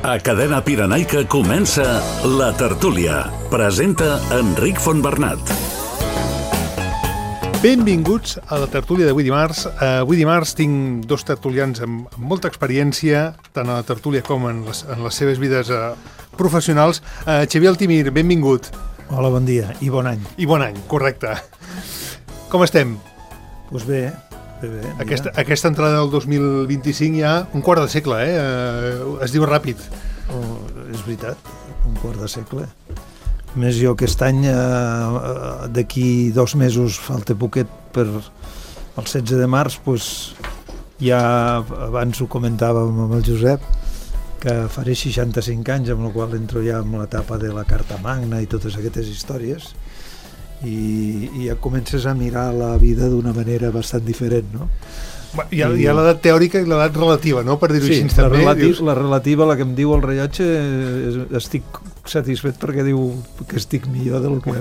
A Cadena Pirenaica comença La Tertúlia. Presenta Enric Fontbernat. Benvinguts a La Tertúlia d'avui dimarts. Avui dimarts tinc dos tertulians amb molta experiència, tant a la tertúlia com en les seves vides professionals. Xavier Altimir, benvingut. Hola, bon dia i bon any. I bon any, correcte. Com estem? Doncs bé. Aquesta entrada del 2025 ja un quart de segle, es diu ràpid. És veritat, un quart de segle. Més jo aquest any, d'aquí 2 mesos, falta poquet per el 16 de març, doncs ja abans ho comentàvem amb el Josep, que faré 65 anys, amb la qual entro ja en l'etapa de la Carta Magna i totes aquestes històries, i ja comences a mirar la vida d'una manera bastant diferent, no? Hi ha l'edat teòrica i l'edat relativa, no? Per dir-ho així també. La relativa, la que em diu el rellotge, estic satisfet perquè diu que estic millor del que...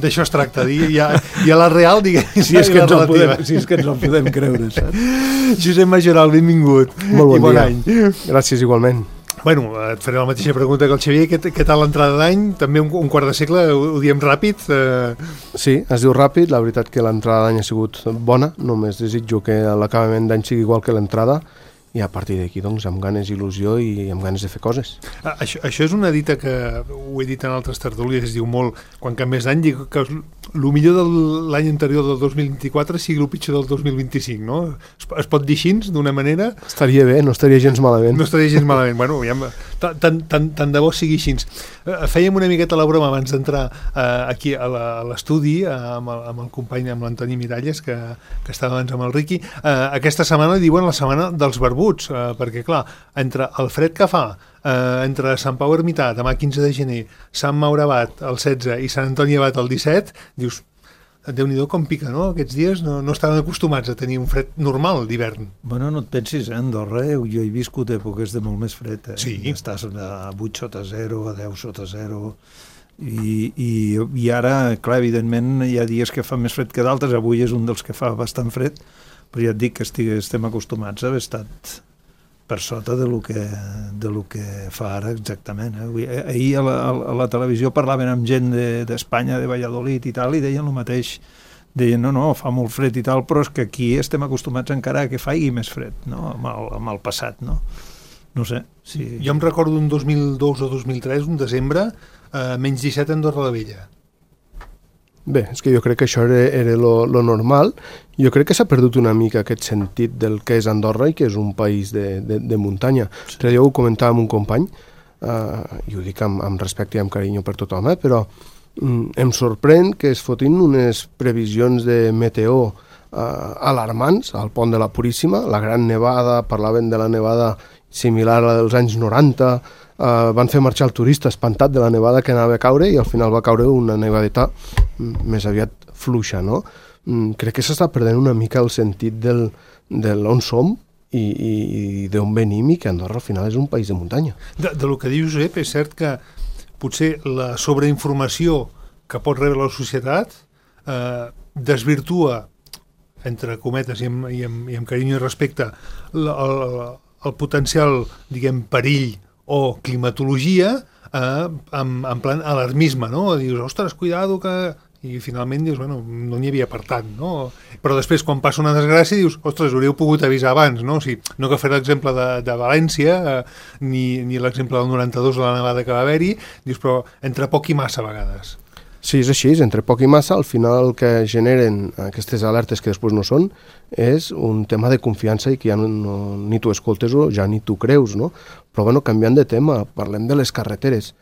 D'això es tracta, hi ha la real, diguem, si és que ens el podem creure, saps? Josep Majoral, benvingut. Molt bon dia. Any. Gràcies, igualment. Bueno, et faré la mateixa pregunta que el Xavier. Què tal l'entrada d'any? També un quart de segle, ho diem ràpid? Sí, es diu ràpid. La veritat que l'entrada d'any ha sigut bona. Només desitjo que l'acabament d'any sigui igual que l'entrada i a partir d'aquí, doncs, amb ganes, il·lusió i amb ganes de fer coses. Això és una dita que ho he dit en altres tertúlies, es diu molt, quan canvies d'any, dic que el millor de l'any anterior del 2024 sigui el pitjor del 2025, no? Es pot dir així, d'una manera? Estaria bé, no estaria gens malament. No estaria gens malament. Bueno, tant de bo sigui així. Fèiem una miqueta la broma abans d'entrar aquí a l'estudi amb el company, amb l'Antoni Miralles, que estava abans amb el Riqui. Aquesta setmana li diuen la setmana dels barbuts, perquè, clar, entre el fred que fa, entre Sant Pau Ermità, demà 15 de gener, Sant Maure Abat el 16 i Sant Antoni Abat el 17, dius, Déu-n'hi-do com pica, no? Aquests dies no estaven acostumats a tenir un fred normal d'hivern. Bueno, no et pensis, Andorra, jo he viscut èpoques de molt més fred. Sí. Estàs a 8 sota 0, a 10 sota 0, i ara, clar, evidentment, hi ha dies que fa més fred que d'altres. Avui és un dels que fa bastant fred, però ja et dic que estem acostumats a haver estat per sota de lo que fa ara exactament. Ahir a la televisió parlaven amb gent d'Espanya, de Valladolid i tal, i deien el mateix. Deien, no, fa molt fred i tal, però és que aquí estem acostumats encara a que faci més fred, no? Amb el passat, no? No sé. Si... Jo em recordo un 2002 o 2003, un desembre, menys 17 a Andorra la Vella. Bé, és que jo crec que això era lo normal. Jo crec que s'ha perdut una mica aquest sentit del que és Andorra i que és un país de muntanya. Sí. Jo ho comentava amb un company, i ho dic amb respecte i amb carinyo per tothom, però em sorprèn que es fotin unes previsions de meteo alarmants al pont de la Puríssima, la gran nevada, parlaven de la nevada similar a la dels anys 90, van fer marxar el turista espantat de la nevada que anava a caure i al final va caure una nevadeta més aviat fluixa, no? Crec que s'està perdent una mica el sentit d'on som i d'on venim i que Andorra al final és un país de muntanya. De lo que diu Josep, és cert que potser la sobreinformació que pot rebre la societat desvirtua, entre cometes i amb carinyo i respecte, el potencial, diguem, perill o climatologia en plan alarmisme, no? Dius, ostres, cuidado que... I finalment dius, bueno, no n'hi havia per tant, no? Però després, quan passa una desgràcia, dius, ostres, hauríeu pogut avisar abans, no? O sigui, no que fer l'exemple de València, ni l'exemple del 92 de la nevada que va haver-hi, dius, però entre poc i massa a vegades. Sí, és així, entre poc i massa, al final el que generen aquestes alertes que després no són és un tema de confiança i que ja ni tu escoltes o ja ni tu creus, no? Però, bueno, canviant de tema, parlem de les carreteres.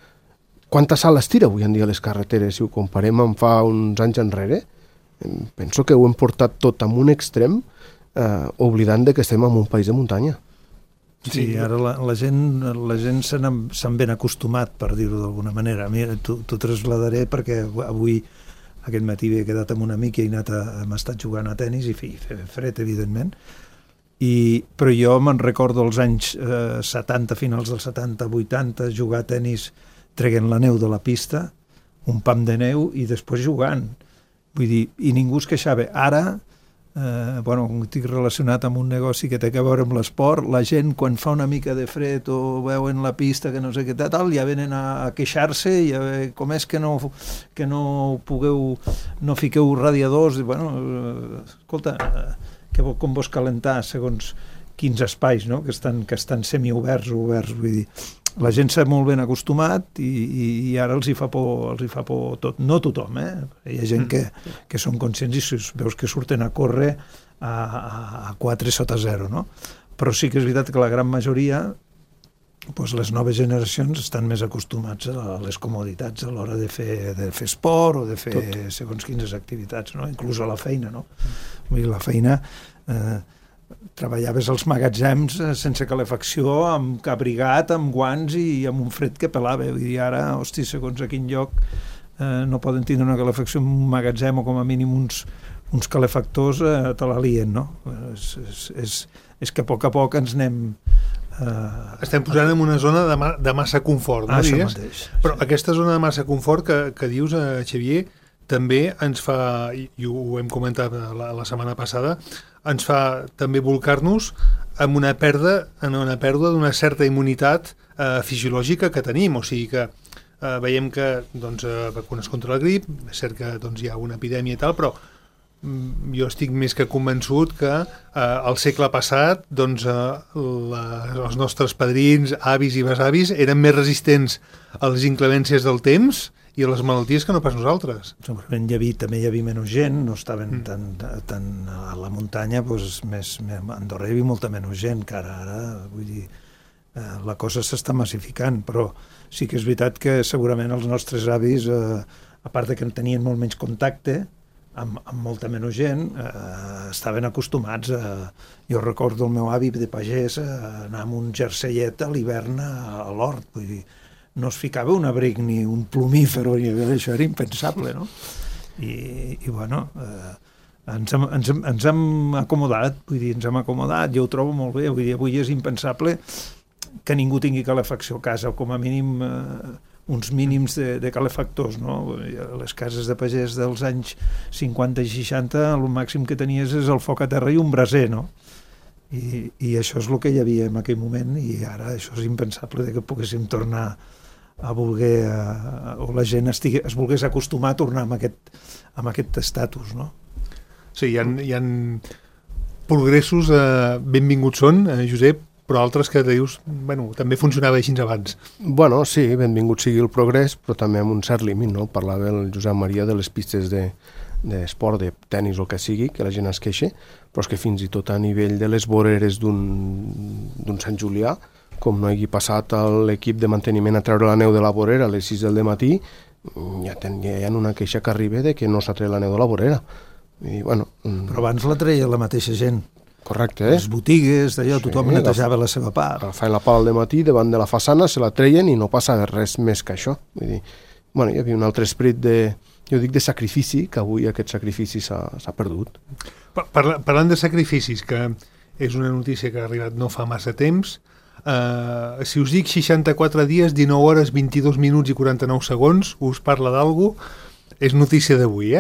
Quanta sal es tira avui en dia a les carreteres? Si ho comparem amb fa uns anys enrere, penso que ho hem portat tot a un extrem, oblidant que estem en un país de muntanya. Sí, ara la gent s'han ben acostumat, per dir-ho d'alguna manera. Mira, t'ho trasladaré perquè avui, aquest matí, he quedat amb un amic i hem estat jugant a tenis i fer fred, evidentment. Però jo me'n recordo els anys 70, finals dels 70, 80, jugar a tenis treguent la neu de la pista, un pam de neu i després jugant. Vull dir, i ningú es queixava. Ara estic relacionat amb un negoci que té a veure amb l'esport, la gent quan fa una mica de fred o veuen la pista que no sé què tal, ja venen a queixar-se i com és que no pugueu, no fiqueu radiadors, i escolta, com vols calentar segons quins espais, no? que estan semioberts o oberts, vull dir, la gent s'ha molt ben acostumat i ara els hi fa por tot, no tothom, hi ha gent que són conscients i veus que surten a córrer a 4 sota 0, no? Però sí que és veritat que la gran majoria, les noves generacions estan més acostumats a les comoditats a l'hora de fer esport o de fer segons quines activitats, no? Inclús a la feina, no? Vull dir, la feina treballaves als magatzems sense calefacció, amb abrigat, amb guants i amb un fred que pelava. Vull dir, ara, segons a quin lloc no poden tindre una calefacció en un magatzem o com a mínim uns calefactors te la lien, no? És que a poc ens anem... Estem posant en una zona de massa confort, no? Això mateix. Però aquesta zona de massa confort que dius, Xavier, també ens fa, i ho hem comentat la setmana passada, ens fa també volcar-nos en una pèrdua d'una certa immunitat fisiològica que tenim, o sigui que veiem que vacunes contra la grip, és cert que hi ha una epidèmia i tal, però jo estic més que convençut que al segle passat els nostres padrins, avis i besavis eren més resistents a les inclemències del temps i a les malalties que no pas nosaltres. Segurament també hi havia menys gent, no estaven tan a la muntanya, a Andorra hi havia molta menys gent, que ara vull dir, la cosa s'està massificant, però sí que és veritat que segurament els nostres avis, a part que tenien molt menys contacte amb molta menys gent, estaven acostumats jo recordo el meu avi de pagès anar amb un jerseiet a l'hivern a l'hort, vull dir, no es ficava un abric ni un plumífer, això era impensable, no? I ens hem acomodat, vull dir, jo ho trobo molt bé, vull dir, avui és impensable que ningú tingui calefacció a casa, o com a mínim uns mínims de calefactors, no? A les cases de pagès dels anys 50 i 60, el màxim que tenies és el foc a terra i un braser, no? I això és el que hi havia en aquell moment, i ara això és impensable que poguéssim tornar a voler, o la gent es volgués acostumar a tornar amb aquest estatus, no? Sí, hi ha progressos, benvinguts són, Josep, però altres que dius, també funcionava així abans. Sí, benvingut sigui el progrés, però també amb un cert límit, no? Parlava el Josep Maria de les pistes d'esport, de tennis o el que sigui, que la gent es queixa, però és que fins i tot a nivell de les voreres d'un Sant Julià, com no hagi passat l'equip de manteniment a treure la neu de la vorera a les 6 del matí, ja hi ha una queixa que arriba de que no s'ha tret la neu de la vorera. Però abans la treia la mateixa gent. Correcte, Les botigues, tothom netejava la seva part. Feien la pala al matí davant de la façana, se la treien i no passava res més que això. Vull dir, hi havia un altre esperit de sacrifici, que avui aquest sacrifici s'ha perdut. Parlant de sacrificis, que és una notícia que ha arribat no fa massa temps, si us dic 64 dies, 19 hores, 22 minuts i 49 segons, us parla d'algú? És notícia d'avui,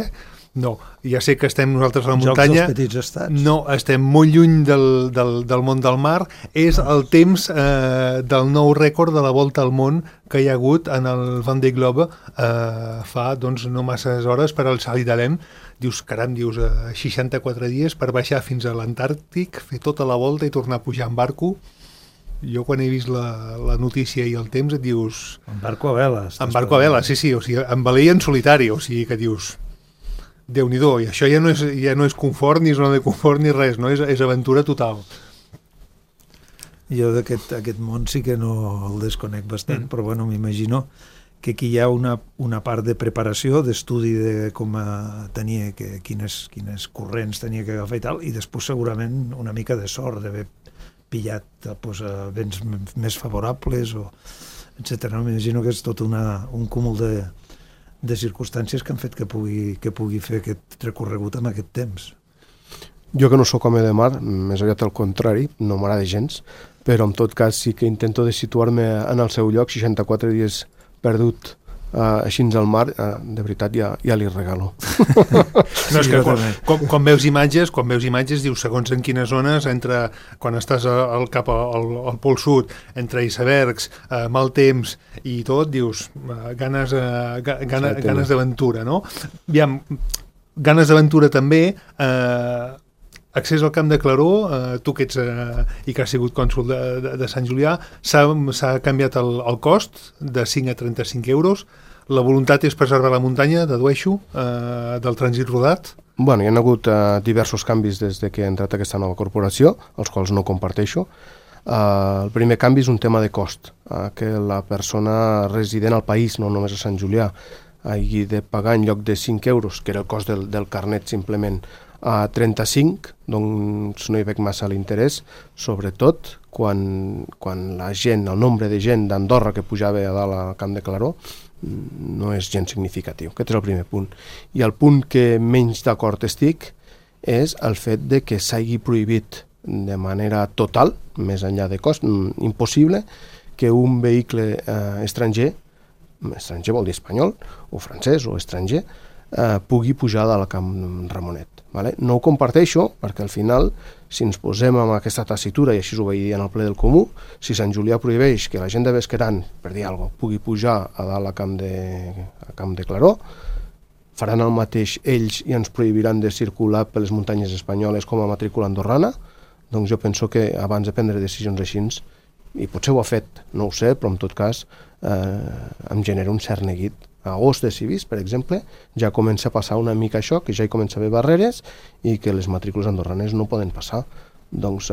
No, ja sé que estem nosaltres a la muntanya. Jocs dels petits estats. No, estem molt lluny del món del mar. És el temps del nou rècord de la volta al món que hi ha hagut en el Vendée Globe fa no masses hores per al Sally d'Alem. Dius, 64 dies per baixar fins a l'Antàrtic, fer tota la volta i tornar a pujar en barco. Jo quan he vist la notícia i el temps et dius... En barco a vela. En barco a vela, sí, o sigui, en velí en solitari, o sigui que dius... Déu-n'hi-do, i això ja no és confort, ni zona de confort, ni res, no? És aventura total. Jo d'aquest món sí que no el desconec bastant, però m'imagino que aquí hi ha una part de preparació, d'estudi de com tenia, quines corrents tenia que agafar i tal, i després segurament una mica de sort d'haver pillat vents més favorables, etcètera. M'imagino que és tot un cúmul de circumstàncies que han fet que pugui fer aquest recorregut amb aquest temps. Jo que no sóc home de mar, més aviat al contrari, no m'agrada gens, però en tot cas sí que intento de situar-me en el seu lloc, 64 dies perdut així al mar, de veritat ja li regalo. No, és que quan veus imatges dius segons en quines zones, quan estàs cap al Pol Sud, entre icebergs, mal temps i tot, dius ganes d'aventura, no? Aviam, ganes d'aventura també, accés al Camp de Claró, tu que ets i que has sigut cònsol de Sant Julià, s'ha canviat el cost de 5 a 35 euros. La voluntat és preservar la muntanya, dedueixo, del trànsit rodat? Bueno, hi ha hagut diversos canvis des que ha entrat aquesta nova corporació, els quals no comparteixo. El primer canvi és un tema de cost, que la persona resident al país, no només a Sant Julià, hagi de pagar en lloc de 5 euros, que era el cost del carnet simplement, a 35, doncs no hi veig massa l'interès, sobretot quan la gent, el nombre de gent d'Andorra que pujava a dalt al Camp de Claró no és gens significatiu. Aquest és el primer punt. I el punt que menys d'acord estic és el fet de que s'hagi prohibit de manera total, més enllà de cost, impossible, que un vehicle estranger vol dir espanyol, o francès, o estranger, pugui pujar de la Camp Ramonet. Vale? No ho comparteixo perquè al final, si ens posem amb aquesta tessitura, i així ho vaig dir en el ple del Comú, si Sant Julià prohibeix que la gent de Besqueran, per dir alguna cosa, pugui pujar a dalt a Camp de Claró, faran el mateix ells i ens prohibiran de circular per les muntanyes espanyoles com a matrícula andorrana. Doncs jo penso que abans de prendre decisions així, i potser ho ha fet, no ho sé, però en tot cas em genera un cert neguit. A Agost de Civis, per exemple, ja comença a passar una mica això, que ja hi comença a haver barreres i que les matrícules andorranes no poden passar. Doncs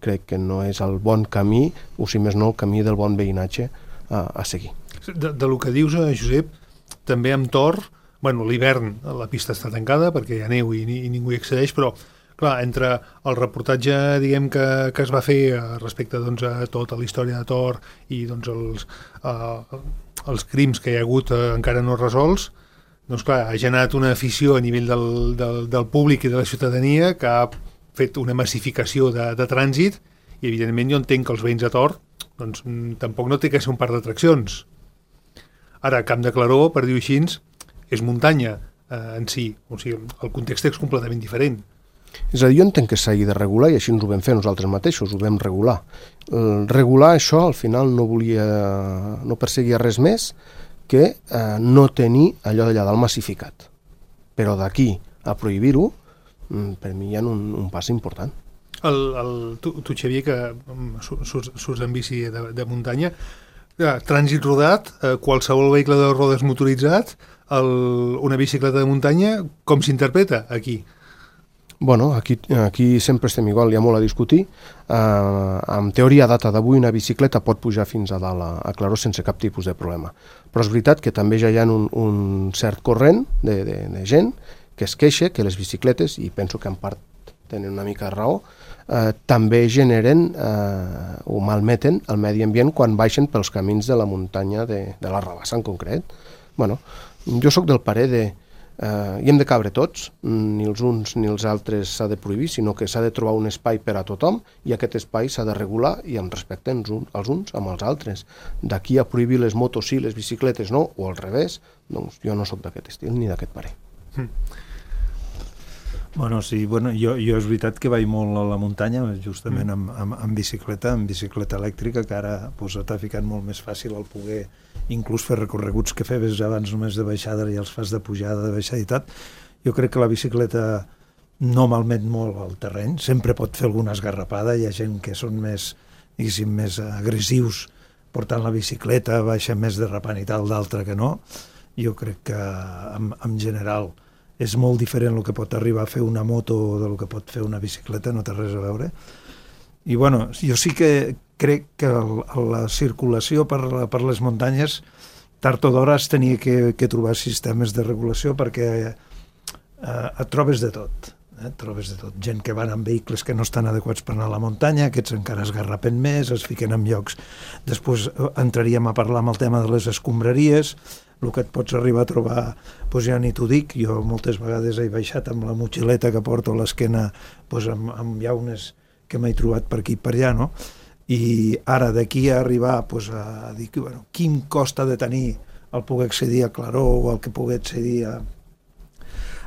crec que no és el bon camí, o si més no el camí del bon veïnatge a seguir. De lo que dius, Josep, també amb Tor, bueno, l'hivern la pista està tancada perquè hi ha neu i ningú hi accedeix, però clar, entre el reportatge diguem que es va fer respecte doncs, a tota la història de Tor i doncs, els crims que hi ha hagut encara no resolts, doncs clar, ha generat una afició a nivell del públic i de la ciutadania que ha fet una massificació de trànsit i evidentment jo entenc que els veïns de Tor doncs, tampoc no té que ser un parc d'atraccions. Ara, Camp de Claró, per dir-ho així, és muntanya en si, o sigui, el context és completament diferent. És a dir, jo entenc que s'hagi de regular i així ens ho vam fer nosaltres mateixos, ho vam regular. Regular això al final no perseguia res més que no tenir allò d'allà dalt massificat. Però d'aquí a prohibir-ho, per mi hi ha un pas important. Tu Xavier, que surts en bici de muntanya, trànsit rodat, qualsevol vehicle de rodes motoritzat, una bicicleta de muntanya, com s'interpreta aquí? Bueno, aquí sempre estem igual, hi ha molt a discutir. En teoria, a data d'avui, una bicicleta pot pujar fins a dalt a Claró sense cap tipus de problema. Però és veritat que també ja hi ha un cert corrent de gent que es queixa que les bicicletes, i penso que en part tenen una mica de raó, també generen o malmeten el medi ambient quan baixen pels camins de la muntanya de la Rabassa en concret. Bueno, jo sóc del parer hi hem de cabre tots, ni els uns ni els altres s'ha de prohibir, sinó que s'ha de trobar un espai per a tothom i aquest espai s'ha de regular i amb respecte els uns amb els altres. D'aquí a prohibir les motos sí, les bicicletes no, o al revés, doncs jo no sóc d'aquest estil ni d'aquest parer. Bueno, sí, jo és veritat que vaig molt a la muntanya, justament amb bicicleta elèctrica, que ara t'ha ficat molt més fàcil el poder inclús fer recorreguts que feies abans només de baixada i els fas de pujada, de baixada i tot. Jo crec que la bicicleta no malmet molt el terreny, sempre pot fer alguna esgarrapada, hi ha gent que són més agressius portant la bicicleta, baixa més derrapant i tal, d'altre que no. Jo crec que en general és molt diferent el que pot arribar a fer una moto del que pot fer una bicicleta, no té res a veure. I bueno, jo sí que crec que la circulació per les muntanyes tard o d'hora es tenia que trobar sistemes de regulació perquè et trobes de tot. Trobes de tot. Gent que van amb vehicles que no estan adequats per anar a la muntanya, aquests encara es garrapen més, es fiquen en llocs. Després entraríem a parlar amb el tema de les escombraries, el que et pots arribar a trobar, doncs ja ni t'ho dic, jo moltes vegades he baixat amb la motxileta que porto a l'esquena, doncs amb llaunes que m'he trobat per aquí i per allà, no? I ara d'aquí a arribar a dir, bueno, quin cost ha de tenir el poder accedir a Claró o el que pugui accedir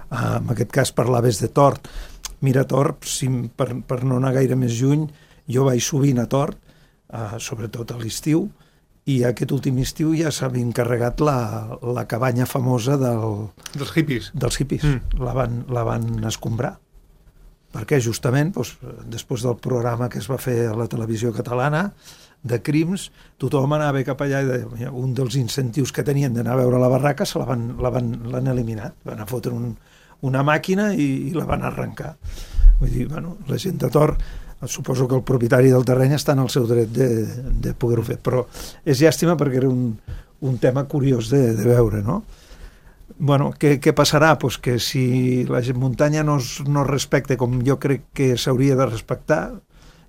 en aquest cas parlaves de Tort. Mira, Tort, per no anar gaire més lluny, jo vaig sovint a Tort, sobretot a l'estiu, i aquest últim estiu ja s'ha encarregat la cabanya famosa dels hippies. La van escombrar. Perquè justament, després del programa que es va fer a la televisió catalana, de crims, tothom anava cap allà i deia, un dels incentius que tenien d'anar a veure la barraca l'han eliminat. Van a fotre una màquina i la van arrencar. Vull dir, la gent de Tort, suposo que el propietari del terreny està en el seu dret de poder-ho fer, però és llàstima perquè era un tema curiós de veure, no? Bueno, què passarà? Pues que si la muntanya no es respecta com jo crec que s'hauria de respectar,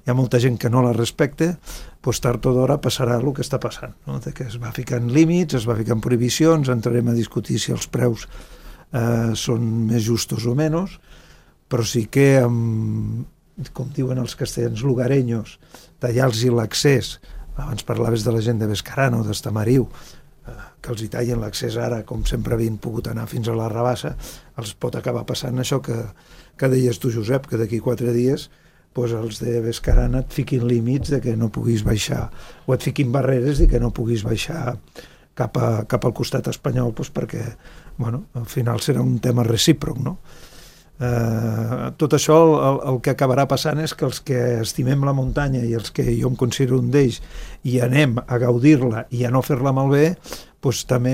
hi ha molta gent que no la respecta, doncs tard o d'hora passarà el que està passant, no? Que es va ficant límits, es va ficant prohibicions, entrarem a discutir si els preus són més justos o menys, però sí que, com diuen els castellans lugareños, tallar-los l'accés, abans parlaves de la gent de Bescarano, d'Estamariu, que els hi tallen l'accés ara, com sempre havien pogut anar fins a la Rabassa, els pot acabar passant això que deies tu, Josep, que d'aquí 4 dies els de Bescarana et fiquin límits de que no puguis baixar, o et fiquin barreres de que no puguis baixar cap al costat espanyol, perquè al final serà un tema recíproc, no? Tot això el que acabarà passant és que els que estimem la muntanya i els que jo em considero un d'ells i anem a gaudir-la i a no fer-la malbé, també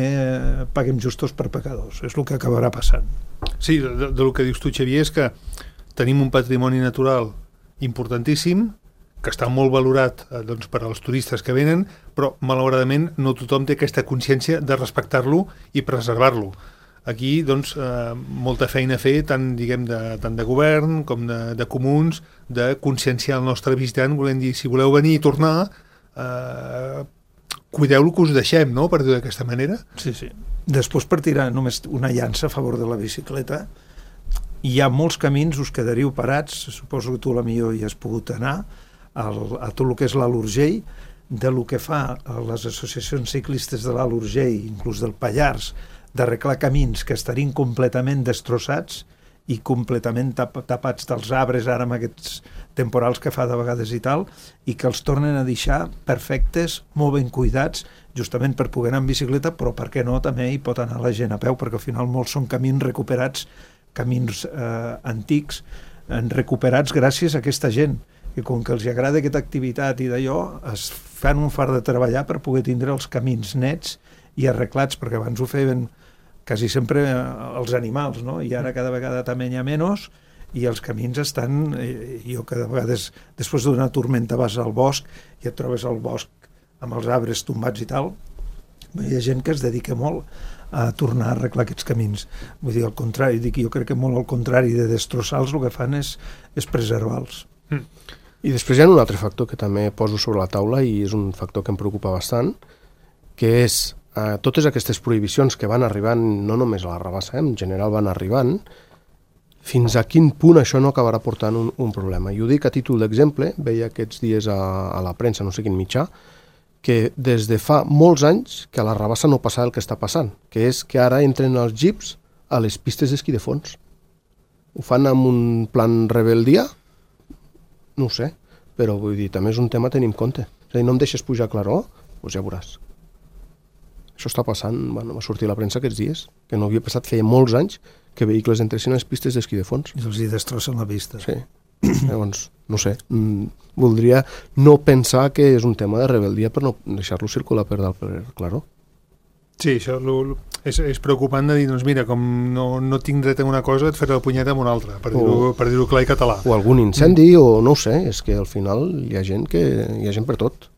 paguem justos per pecadors. És el que acabarà passant. Sí, del que dius tu, Xavier, és que tenim un patrimoni natural importantíssim que està molt valorat per als turistes que venen, però malauradament no tothom té aquesta consciència de respectar-lo i preservar-lo. Aquí, molta feina a fer, tant de govern com de comuns, de conscienciar el nostre visitant, volem dir, si voleu venir i tornar, cuideu-lo que us deixem, no?, per dir d'aquesta manera. Sí. Després, per tirar només una llança a favor de la bicicleta, hi ha molts camins, us quedaríeu parats, suposo que tu a la millor hi has pogut anar, a tot el que és l'Alt Urgell, de lo que fa les associacions ciclistes de l'Alt Urgell, inclús del Pallars, d'arreglar camins que estarien completament destrossats i completament tapats dels arbres ara amb aquests temporals que fa de vegades i tal, i que els tornen a deixar perfectes, molt ben cuidats, justament per poder anar en bicicleta, però per què no, també hi pot anar la gent a peu, perquè al final molts són camins recuperats, camins antics, recuperats gràcies a aquesta gent, que com que els agrada aquesta activitat i d'allò, es fan un fart de treballar per poder tindre els camins nets i arreglats, perquè abans ho feien quasi sempre els animals, no? I ara cada vegada també hi ha menys, i els camins estan... Jo cada vegades, després d'una tormenta, vas al bosc i et trobes al bosc amb els arbres tombats i tal. Hi ha gent que es dedica molt a tornar a arreglar aquests camins. Vull dir, al contrari, jo crec que molt al contrari de destrossar-los, el que fan és preservar-los. I després hi ha un altre factor que també poso sobre la taula i és un factor que em preocupa bastant, que és totes aquestes prohibicions que van arribant, no només a la Rabassa, en general van arribant, fins a quin punt això no acabarà portant un problema. I ho dic a títol d'exemple, veia aquests dies a la premsa, no sé quin mitjà, que des de fa molts anys que a la Rabassa no passa el que està passant, que és que ara entren els jeeps a les pistes d'esquí de fons. Ho fan amb un plan rebeldia? No ho sé, però vull dir, també és un tema a tenir en compte. És a dir, no em deixes pujar a Claró? Doncs ja veuràs. Això està passant, va sortir a la premsa aquests dies, que no havia passat, feia molts anys que vehicles entressin a les pistes d'esquí de fons. I els hi destrossen la vista. Sí. Llavors, no sé, voldria no pensar que és un tema de rebeldia per no deixar-lo circular per dalt per Claró. Sí, això és preocupant de dir, doncs mira, com no tinc dret a una cosa, et faré la punyeta amb una altra, per dir-ho clar i català. O algun incendi, o no ho sé, és que al final hi ha gent per tot.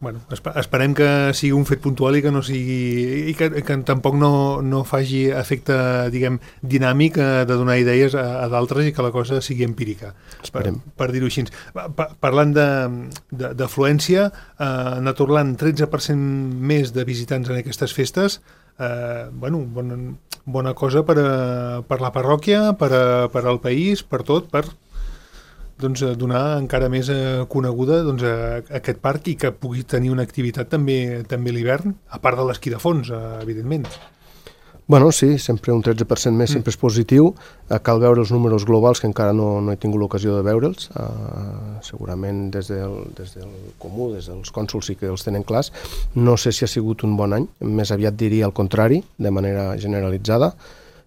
Bueno, esperem que sigui un fet puntual i que no sigui i que tampoc no faci efecte, diguem, dinàmic de donar idees a d'altres i que la cosa sigui empírica. Esperem. Per dir-ho així. Parlant d'afluència, ha anat orlant 13% més de visitants en aquestes festes. Bona cosa per la parròquia, per al país, per tot, per donar encara més coneguda aquest parc i que pugui tenir una activitat també a l'hivern, a part de l'esquí de fons, evidentment. Bueno, sí, sempre un 13% més sempre és positiu. Cal veure els números globals, que encara no he tingut l'ocasió de veure'ls. Segurament des del comú, des dels cònsols sí que els tenen clars. No sé si ha sigut un bon any, més aviat diria el contrari, de manera generalitzada,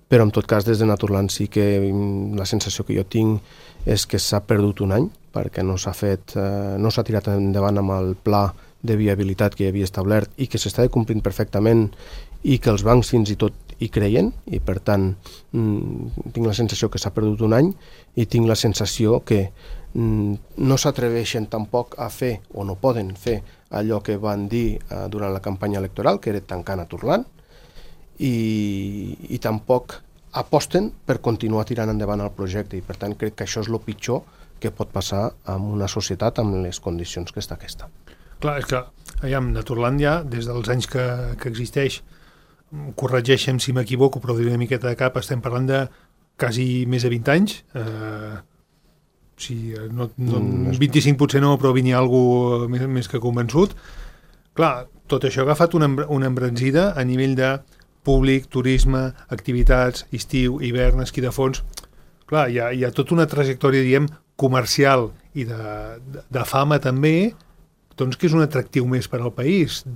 però en tot cas des de Naturland sí que la sensació que jo tinc és que s'ha perdut un any, perquè no s'ha tirat endavant amb el pla de viabilitat que hi havia establert i que s'estava complint perfectament i que els bancs fins i tot hi creien, i per tant tinc la sensació que s'ha perdut un any i tinc la sensació que no s'atreveixen tampoc a fer o no poden fer allò que van dir durant la campanya electoral, que era tancar Naturland, i tampoc aposten per continuar tirant endavant el projecte, i per tant crec que això és el pitjor que pot passar en una societat amb les condicions que està aquesta. Clar, és que Naturland ja, des dels anys que existeix, corregeixem si m'equivoco, però diré una miqueta de cap, estem parlant de quasi més de 20 anys, 25 potser no, però vini algú més que convençut. Clar, tot això ha agafat una embranzida a nivell de públic, turisme, activitats, estiu, hivern, esquí de fons. Clar, hi ha tota una trajectòria, diguem, comercial i de fama també, doncs que és un atractiu més per al país.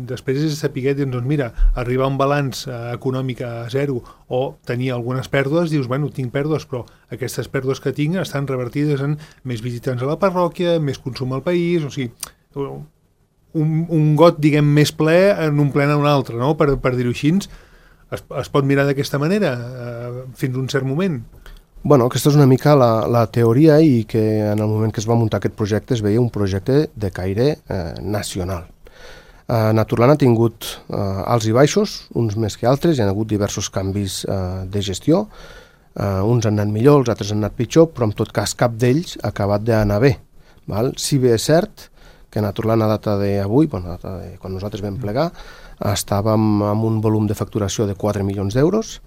Després és saber, doncs mira, arribar a un balanç econòmic a zero o tenir algunes pèrdues, dius, bueno, tinc pèrdues, però aquestes pèrdues que tinc estan revertides en més visitants a la parròquia, més consum al país, o sigui, un got, diguem, més ple en un ple en un altre, no? Per dir-ho així, es pot mirar d'aquesta manera fins a un cert moment. Bueno, aquesta és una mica la teoria, i que en el moment que es va muntar aquest projecte es veia un projecte de caire nacional. Naturland ha tingut alts i baixos, uns més que altres, hi ha hagut diversos canvis de gestió, uns han anat millor, els altres han anat pitjor, però en tot cas cap d'ells ha acabat d'anar bé. Si bé és cert que Naturland a data d'avui, quan nosaltres vam plegar, estàvem amb un volum de facturació de 4 milions d'euros,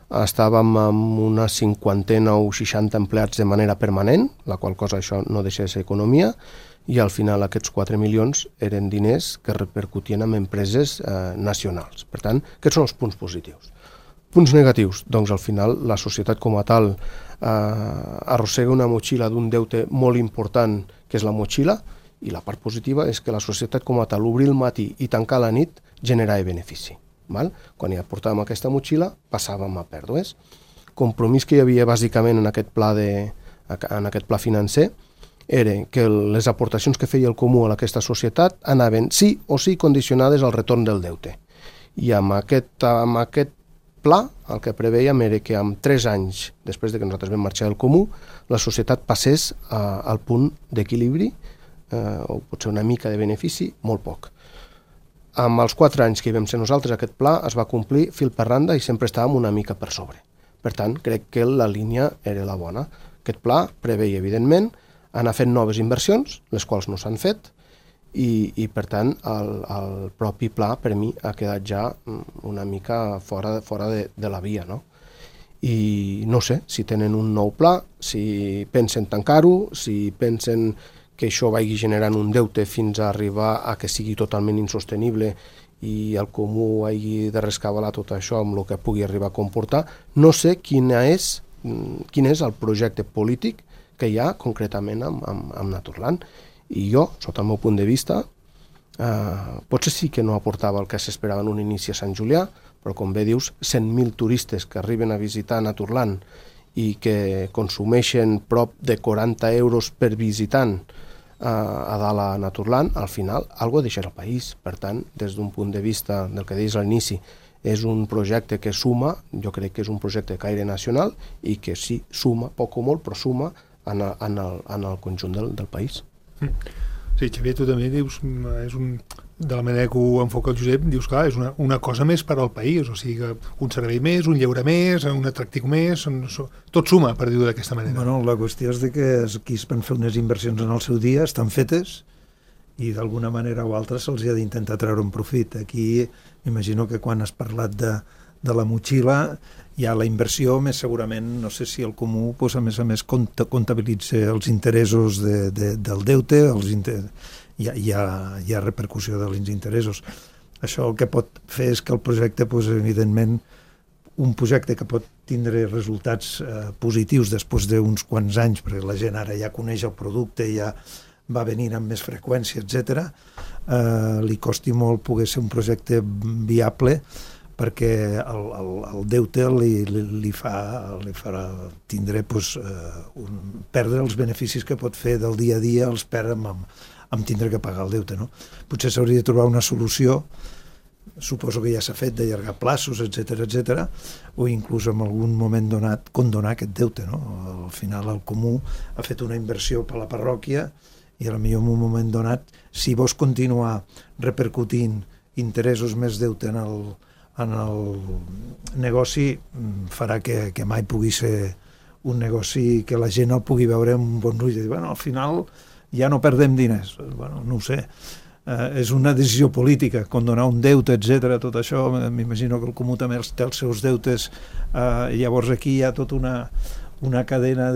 estàvem amb una 50 o 60 empleats de manera permanent, la qual cosa això no deixa de ser economia, i al final aquests 4 milions eren diners que repercutien en empreses nacionals. Per tant, aquests són els punts positius. Punts negatius, doncs al final la societat com a tal arrossega una motxilla d'un deute molt important, que és la motxilla, i la part positiva és que la societat com a tal, obrir el matí i tancar la nit, generava benefici. Quan ja portàvem aquesta motxilla, passàvem a pèrdues. Compromís que hi havia bàsicament en aquest pla financer era que les aportacions que feia el comú a aquesta societat anaven sí o sí condicionades al retorn del deute. I amb aquest pla el que preveiem era que en 3 anys, després de que nosaltres vam marxar del comú, la societat passés al punt d'equilibri, o potser una mica de benefici, molt poc. Amb els 4 anys que hi vam ser nosaltres, aquest pla es va complir fil per randa i sempre estàvem una mica per sobre. Per tant, crec que la línia era la bona. Aquest pla preveia, evidentment, anar fent noves inversions, les quals no s'han fet, i per tant, el propi pla, per mi, ha quedat ja una mica fora de la via, no? I no sé si tenen un nou pla, si pensen tancar-ho, si pensen que això vagi generant un deute fins a arribar a que sigui totalment insostenible i el comú hagi de rescabalar tot això amb el que pugui arribar a comportar. No sé quin és el projecte polític que hi ha concretament amb Naturland. I jo, sota el meu punt de vista, potser sí que no aportava el que s'esperava en un inici a Sant Julià, però com bé dius, 100.000 turistes que arriben a visitar Naturland i que consumeixen prop de 40 euros per visitant a dalt a Naturland, al final algo deixarà el país. Per tant, des d'un punt de vista del que deies a l'inici, és un projecte que suma, jo crec que és un projecte de caire nacional i que sí, suma, poc o molt, però suma en el conjunt del país. Sí, Xavier, tu també dius, de la manera que ho enfoca el Josep, dius, clar, és una cosa més per al país, o sigui, un servei més, un lleure més, un atractiu més, tot suma, per dir-ho d'aquesta manera. Bueno, la qüestió és que aquí es van fer unes inversions en el seu dia, estan fetes, i d'alguna manera o altra se'ls ha d'intentar treure un profit. Aquí m'imagino que quan has parlat de la motxilla hi ha la inversió, més segurament, no sé si el comú, doncs, a més comptabilitza els interessos del deute, hi ha repercussió dels interessos. Això el que pot fer és que el projecte, doncs, evidentment, un projecte que pot tindre resultats positius després d'uns quants anys, perquè la gent ara ja coneix el producte, ja va venir amb més freqüència, etc., li costi molt poder ser un projecte viable, perquè el deute li farà tindre, perdre els beneficis que pot fer del dia a dia, els perd amb tindre que pagar el deute, no? Potser s'hauria de trobar una solució, suposo que ja s'ha fet, d'allargar plaços, etc., o inclús en algun moment donat condonar aquest deute, no? Al final el comú ha fet una inversió per la parròquia i potser en un moment donat, si vols continuar repercutint interessos més deute en el negoci, farà que mai pugui ser un negoci que la gent el pugui veure amb un bon ull i dir, bueno, al final ja no perdem diners. Bueno, no ho sé. És una decisió política, condonar un deute, etc. Tot això, m'imagino que el comú també té els seus deutes. Llavors aquí hi ha tota una cadena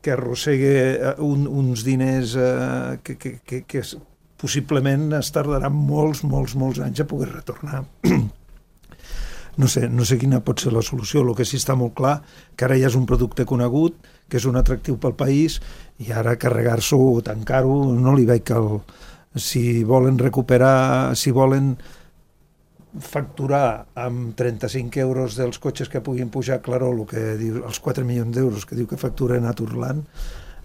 que arrossega uns diners que possiblement es tardaran molts anys a poder retornar. No sé quina pot ser la solució. El que sí està molt clar, que ara ja és un producte conegut, que és un atractiu pel país, i ara carregar-s'ho o tancar-ho no li veig si volen recuperar, si volen facturar amb 35 euros dels cotxes que puguin pujar, claro, el que diu, els 4 milions d'euros que diu que factura Naturland,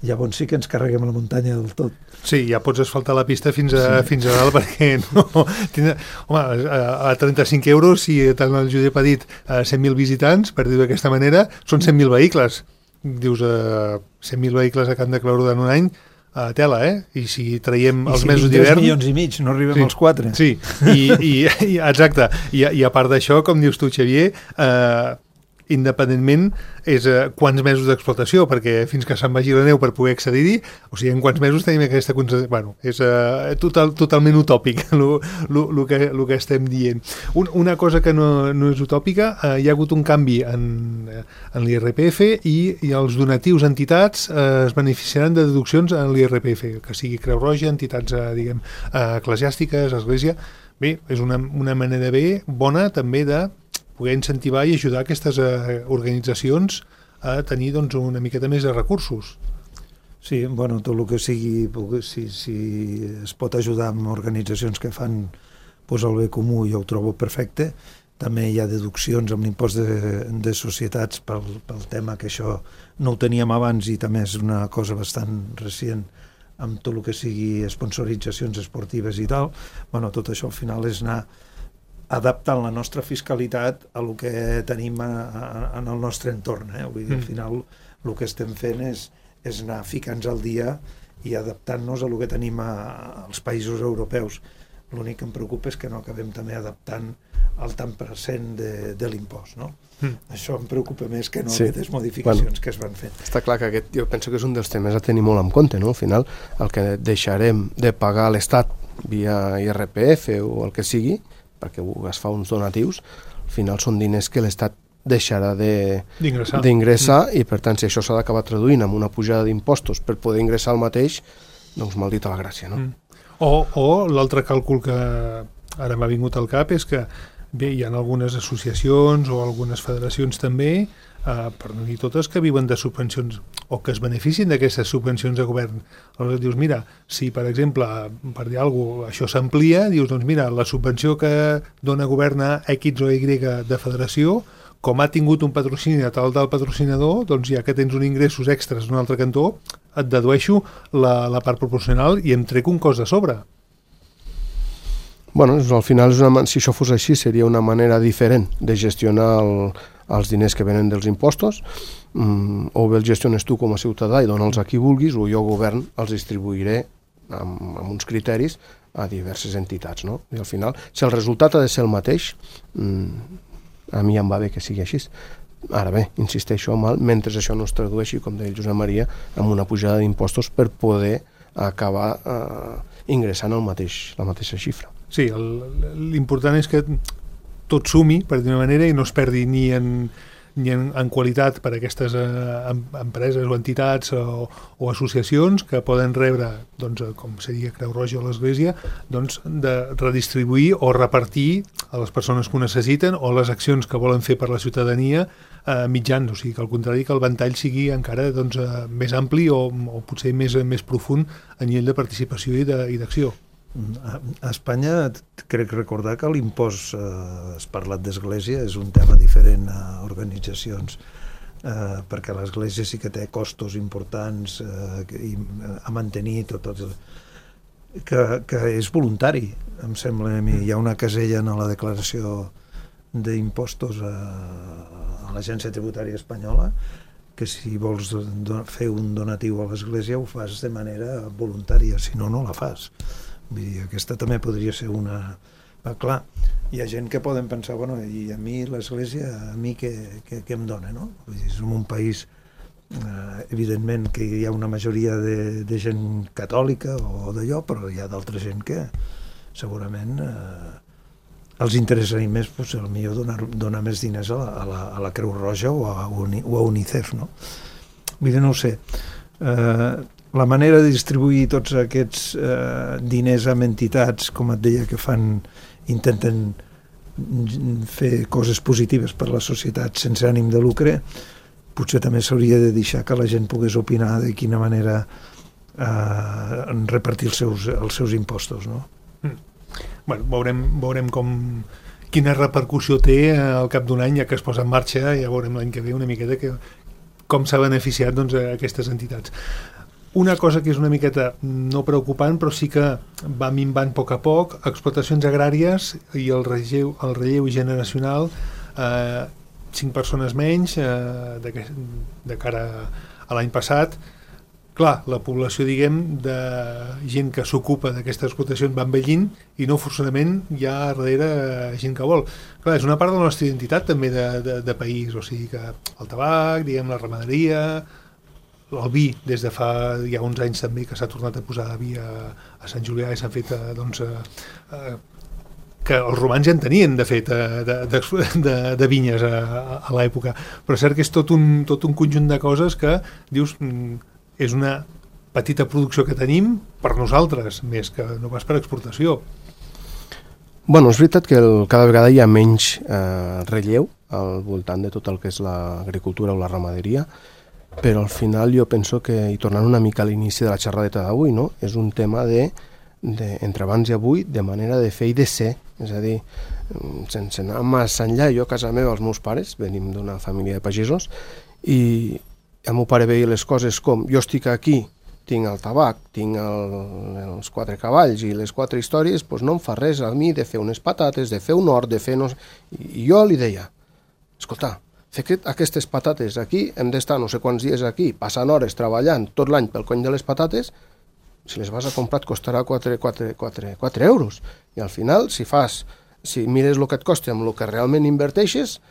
llavors sí que ens carreguem la muntanya del tot. Sí, ja pots asfaltar la pista fins a dalt, perquè no... Home, a 35 euros, si tant el Josep ha dit 100.000 visitants, per dir-ho d'aquesta manera, són 100.000 vehicles. Dius, 100.000 vehicles a Camp de Claramunt en un any, tela, I si traiem els mesos d'hivern... 3 milions i mig, no arribem als 4. Sí, exacte. I a part d'això, com dius tu, Xavier, independentment és quants mesos d'explotació, perquè fins que se'n vagi la neu per poder accedir-hi, o sigui, en quants mesos tenim aquesta... Bueno, és totalment utòpic el que estem dient. Una cosa que no és utòpica, hi ha hagut un canvi en l'IRPF i els donatius a entitats es beneficiaran de deduccions en l'IRPF, que sigui Creu Roja, entitats, diguem, eclesiàstiques, església... Bé, és una manera bona també de poder incentivar i ajudar aquestes organitzacions a tenir una miqueta més de recursos. Sí, bueno, tot el que sigui, si es pot ajudar amb organitzacions que fan el bé comú, jo ho trobo perfecte. També hi ha deduccions amb l'impost de societats pel tema que això no ho teníem abans i també és una cosa bastant recent amb tot el que sigui sponsoritzacions esportives i tal. Bueno, tot això al final és anar adaptant la nostra fiscalitat a el que tenim en el nostre entorn. Vull dir, al final el que estem fent és anar ficant-nos al dia i adaptant-nos a el que tenim als països europeus. L'únic que em preocupa és que no acabem també adaptant el tant % de l'impost, no? Això em preocupa més que no aquestes modificacions que es van fent. Està clar que jo penso que és un dels temes a tenir molt en compte, no? Al final, el que deixarem de pagar a l'Estat via IRPF o el que sigui, perquè es fa uns donatius, al final són diners que l'Estat deixarà d'ingressar i per tant si això s'ha d'acabar traduint amb una pujada d'impostos per poder ingressar el mateix, doncs maldita la gràcia, no? O l'altre càlcul que ara m'ha vingut al cap és que bé, hi ha algunes associacions o algunes federacions també, per no dir totes, que viuen de subvencions o que es beneficien d'aquestes subvencions de govern. Aleshores dius, mira, si per exemple, per dir alguna cosa, això s'amplia, dius, doncs mira, la subvenció que dona govern a X o Y de federació, com ha tingut un patrocini de tal del patrocinador, doncs ja que tens uns ingressos extras en un altre cantó, et dedueixo la part proporcional i em trec un cost de sobre. Bueno, al final, si això fos així, seria una manera diferent de gestionar els diners que venen dels impostos, o bé els gestiones tu com a ciutadà i dona'ls a qui vulguis, o jo, govern, els distribuiré amb uns criteris a diverses entitats, no? I al final, si el resultat ha de ser el mateix, a mi em va bé que sigui així. Ara bé, insisteixo, mentre això no es tradueixi, com deia el Josep Maria, amb una pujada d'impostos per poder acabar ingressant la mateixa xifra. Sí, l'important és que tot sumi, per dir-ho manera, i no es perdi ni en qualitat per a aquestes empreses o entitats o associacions que poden rebre, doncs, com seria Creu Roja o l'Església, doncs, de redistribuir o repartir a les persones que ho necessiten o les accions que volen fer per la ciutadania mitjans, o sigui que al contrari que el ventall sigui encara doncs, més ampli o potser més profund a nivell de participació i d'acció. A Espanya crec recordar que l'impost, has parlat d'església, és un tema diferent a organitzacions, perquè l'església sí que té costos importants a mantenir que és voluntari, em sembla a mi. Hi ha una casella en la declaració d'impostos a l'Agència Tributària Espanyola que si vols fer un donatiu a l'església ho fas de manera voluntària, si no, no la fas. Vull dir, aquesta també podria ser una... Clar, hi ha gent que poden pensar, bueno, i a mi l'església, a mi què em dona, no? Vull dir, som un país, evidentment, que hi ha una majoria de gent catòlica o d'allò, però hi ha d'altra gent que segurament els interessaria més, doncs, potser donar més diners a la Creu Roja o a UNICEF, no? Vull dir, no ho sé. La manera de distribuir tots aquests diners amb entitats, com et deia, que intenten fer coses positives per a la societat sense ànim de lucre, potser també s'hauria de deixar que la gent pogués opinar de quina manera repartir els seus impostos, no? Bueno, veurem quina repercussió té al cap d'un any, ja que es posa en marxa, ja veurem l'any que ve una miqueta com s'ha beneficiat doncs, aquestes entitats. Una cosa que és una miqueta no preocupant, però sí que va minvant a poc, explotacions agràries i el relleu generacional, 5 persones menys de cara a l'any passat. Clar, la població, diguem, de gent que s'ocupa d'aquestes explotacions va envellint i no forçosament hi ha darrere gent que vol. Clar, és una part de la nostra identitat també de país, o sigui que el tabac, diguem, la ramaderia, el vi, des de fa ja uns anys també que s'ha tornat a posar vi a Sant Julià i s'han fet doncs, que els romans ja en tenien de fet de vinyes a l'època, però és cert que és tot un conjunt de coses que dius és una petita producció que tenim per nosaltres, més que no pas per exportació. Bueno, és veritat que cada vegada hi ha menys relleu al voltant de tot el que és l'agricultura o la ramaderia, però al final jo penso que, i tornant una mica a l'inici de la xerradeta d'avui, no? És un tema entre abans i avui, de manera de fer i de ser, és a dir, sense anar massa enllà. Jo a casa meva, els meus pares, venim d'una família de pagesos, i el meu pare veia les coses com, jo estic aquí, tinc el tabac, tinc els 4 cavalls i les 4 històries, doncs no em fa res a mi de fer unes patates, de fer un hort, de fer... I jo li deia, escolta, fer aquestes patates aquí, hem d'estar no sé quants dies aquí, passant hores treballant tot l'any pel cony de les patates, si les vas a comprar et costarà 4 euros. I al final, si mires el que et costa amb el que realment inverteixes,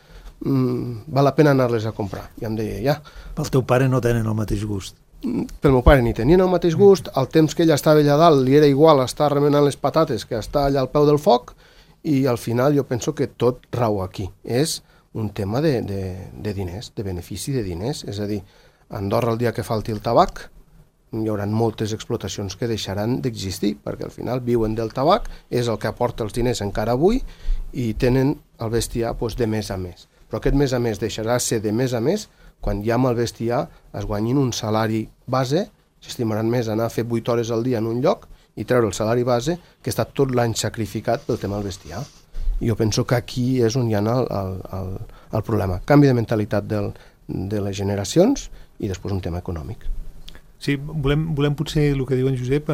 val la pena anar-les a comprar. I em deia, ja. Pel teu pare no tenen el mateix gust. Pel meu pare ni tenien el mateix gust, el temps que ell estava allà dalt li era igual estar remenant les patates que estar allà al peu del foc, i al final jo penso que tot rau aquí. És un tema de diners, de benefici de diners. És a dir, a Andorra el dia que falti el tabac hi haurà moltes explotacions que deixaran d'existir, perquè al final viuen del tabac, és el que aporta els diners encara avui, i tenen el bestiar de mes a mes. Però aquest mes a mes deixarà ser de mes a mes quan ja amb el bestiar es guanyin un salari base, s'estimaran més anar a fer 8 hores al dia en un lloc i treure el salari base que està tot l'any sacrificat pel tema del bestiar. I jo penso que aquí és on hi ha el problema. Canvi de mentalitat de les generacions i després un tema econòmic. Sí, volem potser, el que diu en Josep,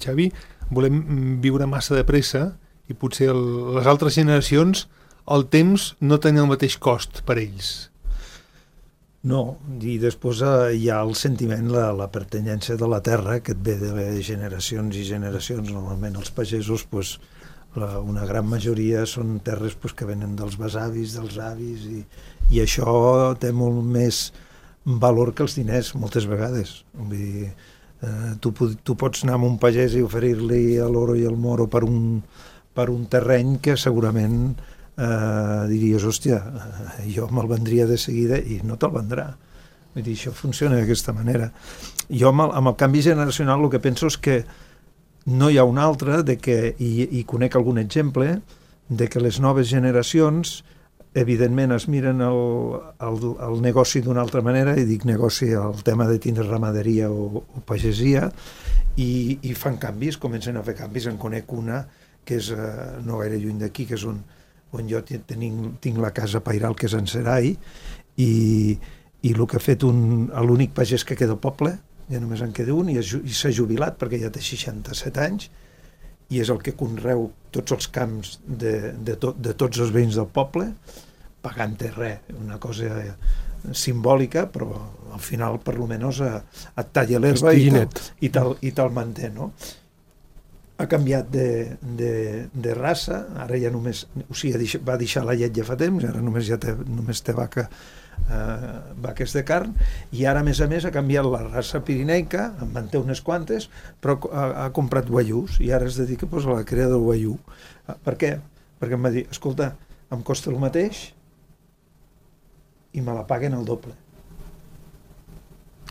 Xavi, volem viure massa de pressa i potser les altres generacions el temps no tenen el mateix cost per ells. No, i després hi ha el sentiment, la pertanyència de la terra que et ve de les generacions i generacions. Normalment els pagesos, una gran majoria són terres que venen dels besavis, dels avis, i això té molt més valor que els diners moltes vegades. Vull dir, tu pots anar amb un pagès i oferir-li l'oro i el moro per un terreny que segurament diries, hòstia, jo me'l vendria de seguida i no te'l vendrà. Vull dir, això funciona d'aquesta manera. Jo amb el canvi generacional el que penso és que no hi ha un altre, i conec algun exemple, de que les noves generacions evidentment es miren el negoci d'una altra manera, i dic negoci, el tema de tindre ramaderia o pagesia, i fan canvis, comencen a fer canvis. En conec una que és no gaire lluny d'aquí, que és on jo tinc la casa pairal, que és en Serai, i el que ha fet l'únic pagès que queda al poble, ja només en queda un, i s'ha jubilat perquè ja té 67 anys, i és el que conreu tots els camps de tots els veïns del poble, pagant-te res, una cosa simbòlica, però al final per lo menos et talla l'herba i te'l manté, no? Ha canviat de raça, ara ja només, o sigui, va deixar la llet ja fa temps, ara només té vaques de carn, i ara a més ha canviat la raça pirineica, en manté unes quantes, però ha comprat guaiús, i ara es dedica a la cria del guaiú. Per què? Perquè em va dir, escolta, em costa el mateix i me la paguen el doble.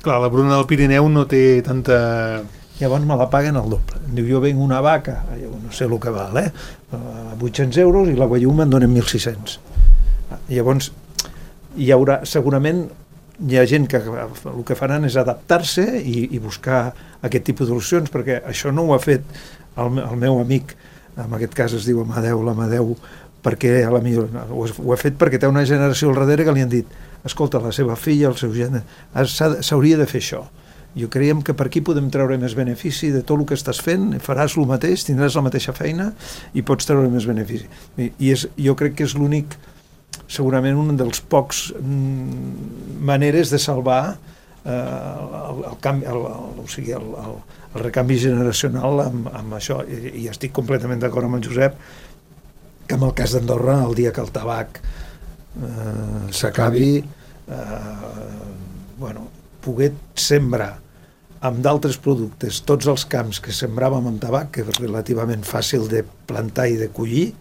Clar, la Bruna del Pirineu no té tanta... Llavors me la paguen el doble. Diu, jo venc una vaca, no sé el que val, a 800 euros, i la guaiú me'n donen 1.600. Llavors, hi haurà, segurament hi ha gent que el que faran és adaptar-se i buscar aquest tipus de solucions, perquè això no ho ha fet el meu amic, en aquest cas es diu Amadeu, l'Amadeu, perquè a la millor ho ha fet perquè té una generació al darrere que li han dit, escolta, la seva filla, el seu gènere, s'hauria de fer això. Jo creiem que per aquí podem treure més benefici de tot el que estàs fent, faràs el mateix, tindràs la mateixa feina i pots treure més benefici. Jo crec que és l'únic, segurament un dels pocs maneres de salvar el recanvi generacional amb això, i estic completament d'acord amb el Josep que en el cas d'Andorra, el dia que el tabac s'acabi, poder sembrar amb d'altres productes tots els camps que sembràvem amb tabac, que és relativament fàcil de plantar i de collir,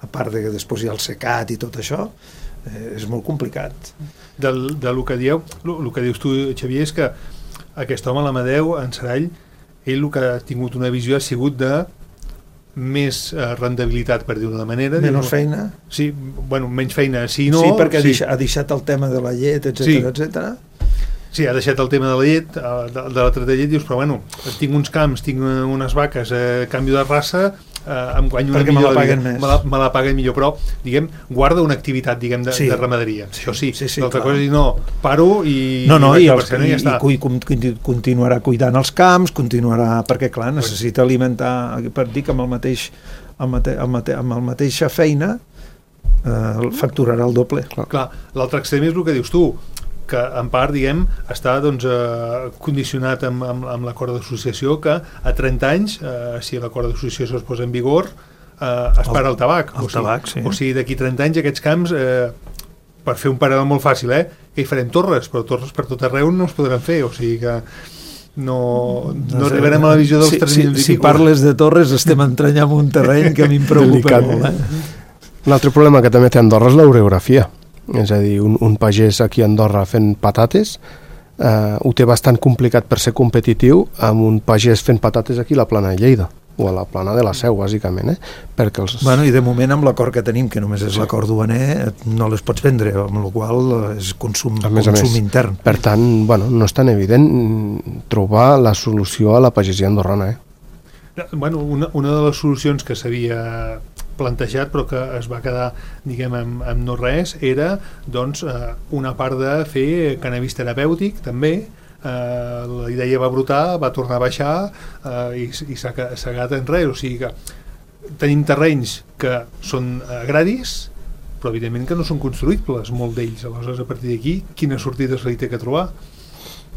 a part de que després hi ha el secat i tot això, és molt complicat. Del que dius tu, Xavier, és que aquest home, l'Amadeu, en Serall, ell el que ha tingut una visió ha sigut de més rendibilitat, per dir-ho d'una manera. Menys feina? Sí, menys feina, sí, no... Sí, perquè ha deixat el tema de la llet, etcètera. Sí, ha deixat el tema de la llet, de la treta de llet, dius, però tinc uns camps, tinc unes vaques, a canvi de raça, em guanyo una millor, me la paguen millor, però, diguem, guarda una activitat, diguem, de ramaderia. Això sí. L'altra cosa és dir, no, paro i... I continuarà cuidant els camps, perquè, clar, necessita alimentar, per dir que amb la mateixa feina facturarà el doble. Clar, l'altre extrem és el que dius tu, que en part, diguem, està condicionat amb l'acord d'associació, que a 30 anys, si l'acord d'associació es posa en vigor, es para el tabac. O sigui, d'aquí 30 anys aquests camps, per fer un paral·lel molt fàcil, que hi farem torres, però torres per tot arreu no es podran fer, o sigui que no arribarem a la visió dels 3 milions i pico. Si parles de torres estem entrant en un terreny que a mi em preocupa molt. Un altre problema que també té Andorra és l'orografia. És a dir, un pagès aquí a Andorra fent patates ho té bastant complicat per ser competitiu amb un pagès fent patates aquí a la Plana de Lleida o a la Plana de la Seu, bàsicament, perquè i de moment amb l'acord que tenim, que només és l'acord duaner, no les pots vendre, amb la qual és consum intern. Per tant, no és tan evident trobar la solució a la pagesia andorrana. Una de les solucions que s'havia plantejat però que es va quedar, diguem, amb no res, era una part de fer cannabis terapèutic també. La idea va brotar, va tornar a baixar i s'ha quedat en res. O sigui que tenim terrenys que són agraris, però evidentment que no són construïbles, molt d'ells. Aleshores, a partir d'aquí, quines sortides li té que trobar?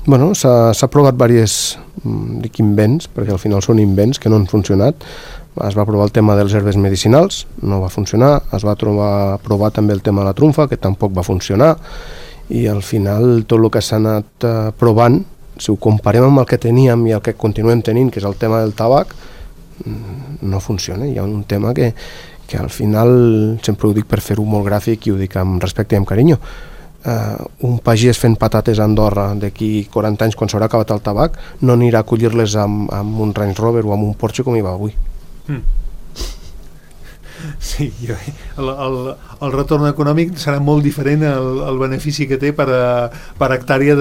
S'ha provat diversos invents, perquè al final són invents que no han funcionat. Es va provar el tema dels herbes medicinals, no va funcionar. Es va provar també el tema de la trumfa, que tampoc va funcionar. I al final tot el que s'ha anat provant, si ho comparem amb el que teníem i el que continuem tenint, que és el tema del tabac, no funciona. Hi ha un tema que que al final, sempre ho dic per fer-ho molt gràfic i ho dic amb respecte i amb carinyo, un pagès fent patates a Andorra d'aquí 40 anys, quan s'haurà acabat el tabac, no anirà a collir-les amb un Range Rover o amb un Porsche com hi va avui. Sí, el retorn econòmic serà molt diferent al benefici que té per hectàrea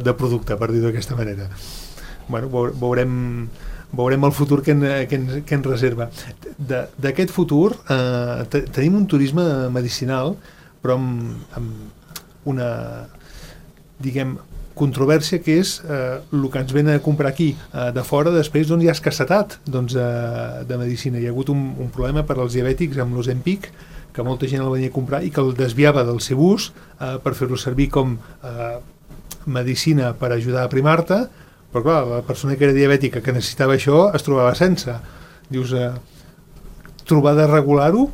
de producte, per dir-ho d'aquesta manera. Bueno, veurem el futur que ens reserva. D'aquest futur tenim un turisme medicinal, però amb una, diguem, controvèrsia, que és el que ens ven a comprar aquí de fora. Després hi ha escassetat de medicina. Hi ha hagut un problema per als diabètics amb l'Ozempic, que molta gent el venia a comprar i que el desviava del seu ús per fer-lo servir com medicina per ajudar a aprimar-te, però clar, la persona que era diabètica que necessitava això es trobava sense. Dius, trobar de regular-ho,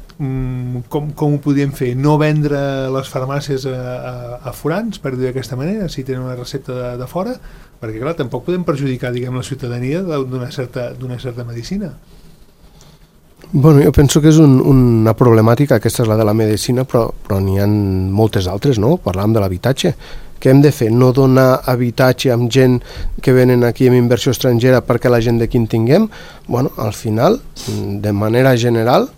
com ho podíem fer? No vendre les farmàcies a forans, per dir d'aquesta manera, si tenen una recepta de fora, perquè clar, tampoc podem perjudicar, diguem, la ciutadania d'una certa medicina. Bueno, jo penso que és una problemàtica, aquesta és la de la medicina, però n'hi ha moltes altres, no? Parlàvem de l'habitatge. Què hem de fer? No donar habitatge amb gent que venen aquí amb inversió estrangera perquè la gent d'aquí en tinguem? Bueno, al final, de manera general,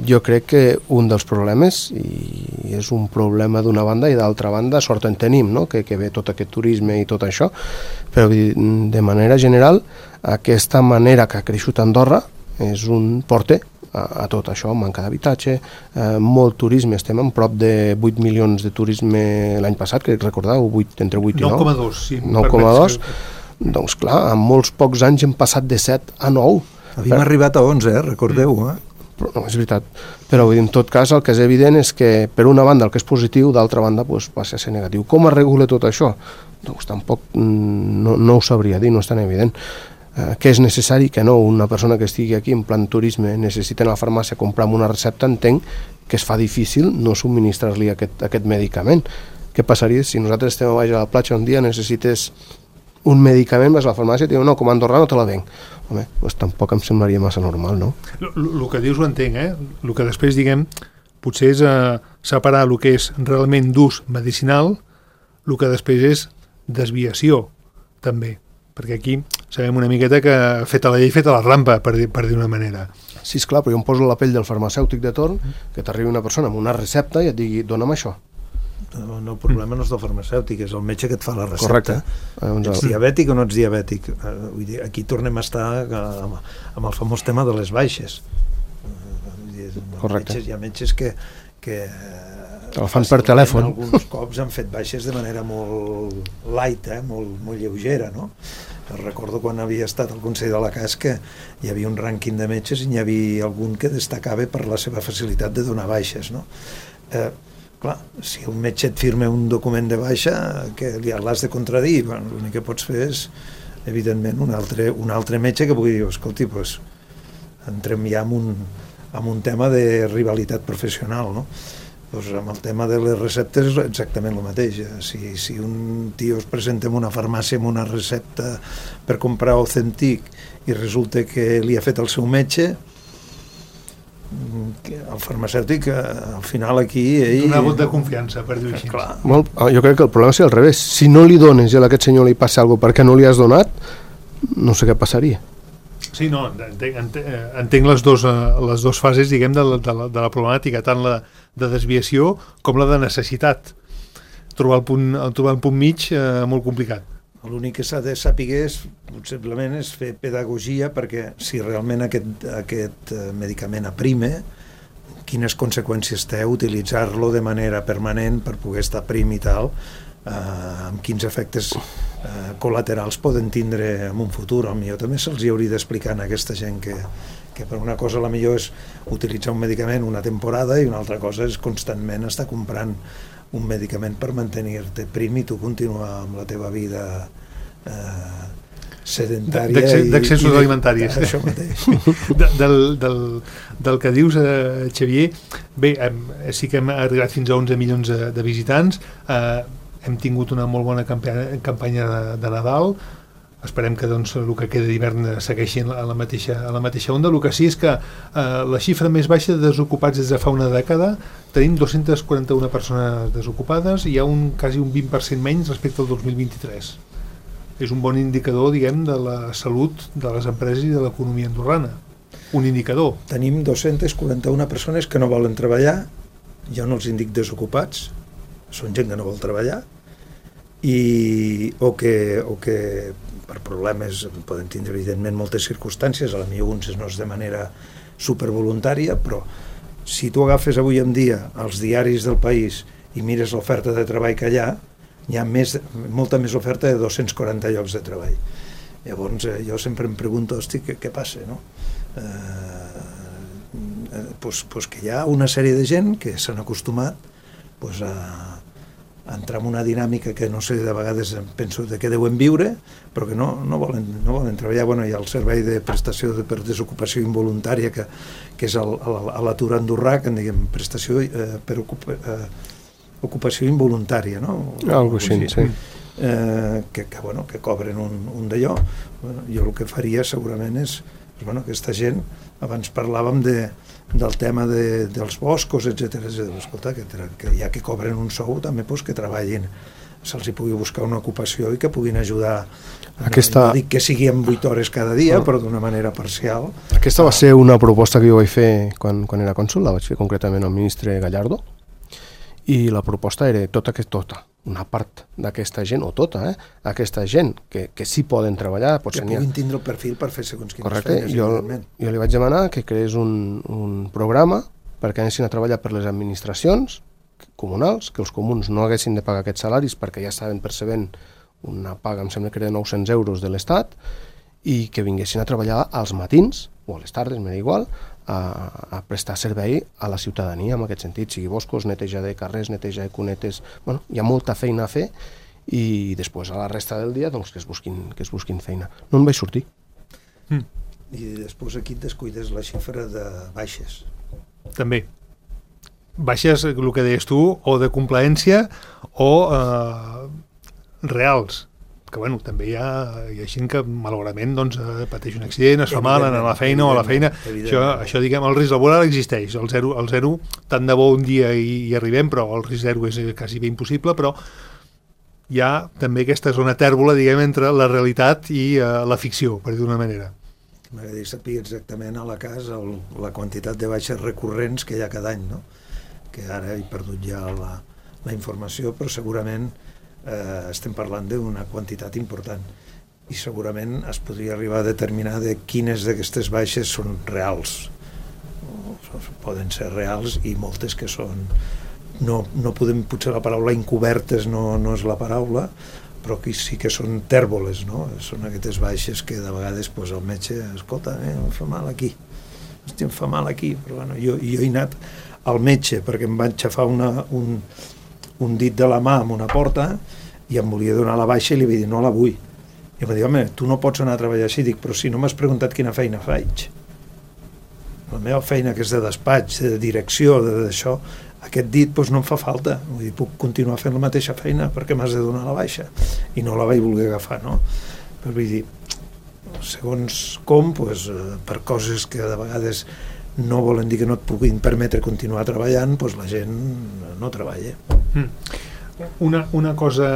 jo crec que un dels problemes, i és un problema d'una banda i d'altra banda, sort en tenim, no? que ve tot aquest turisme i tot això, però de manera general, aquesta manera que ha creixut Andorra és un porter a tot això, manca d'habitatge, molt turisme, estem en prop de 8 milions de turisme l'any passat, crec recordar, entre 8 i 9. 9,2, sí. 9,2. Doncs clar, en molts pocs anys hem passat de 7 a 9. Havíem arribat a 11, recordeu, Però, no, és veritat. Però en tot cas el que és evident és que per una banda el que és positiu, d'altra banda passa a ser negatiu. Com es regula tot això? Doncs tampoc no ho sabria dir, no és tan evident. Que és necessari que no, una persona que estigui aquí en plan turisme necessita anar a la farmàcia a comprar una recepta, entenc que es fa difícil no subministrar-li aquest medicament. Què passaria si nosaltres estem a baix a la platja un dia, necessites un medicament, vas a la farmàcia i et diuen, no, com a andorrà no te la venc. Home, doncs tampoc em semblaria massa normal, no? El que dius ho entenc, el que després, diguem, potser és separar el que és realment d'ús medicinal, el que després és desviació, també. Perquè aquí sabem una miqueta que feta la llei, feta la rampa, per dir una manera. Sí, esclar, però jo em poso la pell del farmacèutic de torn, que t'arribi una persona amb una recepta i et digui, dona'm això. No, el problema no és del farmacèutic, és el metge que et fa la recepta. Correcte. Ets diabètic o no ets diabètic? Vull dir, aquí tornem a estar amb el famós tema de les baixes. Correcte. Hi ha metges que el fan per telèfon. Alguns cops han fet baixes de manera molt light, molt lleugera, no? Recordo quan havia estat al Consell de la CAS que hi havia un rànquing de metges i n'hi havia algun que destacava per la seva facilitat de donar baixes, no? Clar, si un metge et firma un document de baixa, que l'has de contradir, bueno, l'únic que pots fer és, evidentment, un altre metge que pugui dir, escolti, doncs, entrem ja en un tema de rivalitat professional, no? Doncs amb el tema de les receptes és exactament el mateix. Si un tio es presenta en una farmàcia amb una recepta per comprar Ozempic i resulta que li ha fet el seu metge, el farmacèutic al final aquí una vot de confiança, per dir-ho així. Jo crec que el problema és al revés. Si no li dones i a aquest senyor li passa alguna cosa perquè no li has donat, no sé què passaria. Sí, no, entenc les dues fases, diguem, de la problemàtica, tant la de desviació com la de necessitat. Trobar el punt mig molt complicat. L'únic que s'ha de saber possiblement és fer pedagogia, perquè si realment aquest medicament aprime, quines conseqüències té utilitzar-lo de manera permanent per poder estar prim i tal, amb quins efectes col·laterals poden tindre en un futur. Potser també se'ls hauria d'explicar a aquesta gent que per una cosa la millor és utilitzar un medicament una temporada i una altra cosa és constantment estar comprant un medicament per mantenir-te prim i tu continuar amb la teva vida sedentària d'accessos alimentaris. Això mateix. Del que dius, Xavier, bé, sí que hem arribat fins a 11 milions de visitants, hem tingut una molt bona campanya de Nadal, esperem que doncs, el que queda d'hivern segueixi a la mateixa onda. El que sí és que la xifra més baixa de desocupats des de fa una dècada, tenim 241 persones desocupades i hi ha quasi un 20% menys respecte al 2023. És un bon indicador, diguem, de la salut de les empreses i de l'economia andorrana. Un indicador. Tenim 241 persones que no volen treballar, jo no els indic desocupats, són gent que no vol treballar, o que per problemes poden tindre evidentment moltes circumstàncies, a la millor uns no és de manera supervoluntària, però si tu agafes avui en dia els diaris del país i mires l'oferta de treball que hi ha molta més oferta de 240 llocs de treball. Llavors jo sempre em pregunto, hosti, què passa, no? Pues que hi ha una sèrie de gent que s'han acostumat pues, a entrar en una dinàmica que no sé, de vegades penso de què deuen viure, però que no volen treballar. Bueno, hi ha el servei de prestació per desocupació involuntària que és a l'atur andorrà, que en diguem prestació per ocupació involuntària, no? Algo així, sí. Que cobren un d'allò. Jo el que faria segurament és aquesta gent, abans parlàvem del tema dels boscos, etc. Escolta, que ja que cobren un sou també que treballin, se'ls hi pugui buscar una ocupació i que puguin ajudar. No dic que sigui en 8 hores cada dia, però d'una manera parcial. Aquesta va ser una proposta que jo vaig fer quan era cònsol, la vaig fer concretament al ministre Gallardo, i la proposta era una part d'aquesta gent, o tota, aquesta gent que sí poden treballar. Que puguin tindre el perfil per fer segons quines feines. Correcte, jo li vaig demanar que creés un programa perquè anessin a treballar per les administracions comunals, que els comuns no haguessin de pagar aquests salaris perquè ja estaven percebent una paga, em sembla que era 900 euros de l'Estat, i que vinguessin a treballar als matins, o a les tardes, m'era igual, a prestar servei a la ciutadania en aquest sentit, sigui boscos, neteja de carrers, neteja de cunetes. Bueno, hi ha molta feina a fer i després a la resta del dia doncs, que es busquin feina. No en vaig sortir. I després aquí et descuides la xifra de baixes. També. Baixes, el que deies tu, o de complaència o reals. Que bueno, també hi ha gent que malauradament doncs, pateix un accident, es fa mal a la feina o a la feina. Això diguem, el risc laboral existeix, el zero tant de bo un dia hi arribem, però el risc zero és quasi bé impossible, però hi ha també aquesta zona tèrbola, diguem, entre la realitat i la ficció, per dir d'una manera. M'agradaria saber exactament a la casa la quantitat de baixes recurrents que hi ha cada any, no? Que ara he perdut ja la informació, però segurament estem parlant d'una quantitat important i segurament es podria arribar a determinar de quines d'aquestes baixes són reals. Poden ser reals i moltes que són... No podem, potser la paraula encobertes no és la paraula, però que sí que són tèrboles, no? Són aquestes baixes que de vegades pues, el metge, escolta, em fa mal aquí, em fa mal aquí, però bueno, jo he anat al metge perquè em van xafar un dit de la mà amb una porta i em volia donar la baixa i li vaig dir no la vull. I em va dir, home, tu no pots anar a treballar així. Dic, però si no m'has preguntat quina feina faig. La meva feina, que és de despatx, de direcció, d'això, aquest dit doncs, no em fa falta. Vull dir, puc continuar fent la mateixa feina perquè m'has de donar la baixa. I no la vaig voler agafar, no? Però vull dir, segons com, doncs, per coses que de vegades no volen dir que no et puguin permetre continuar treballant, doncs la gent no treballa. Una cosa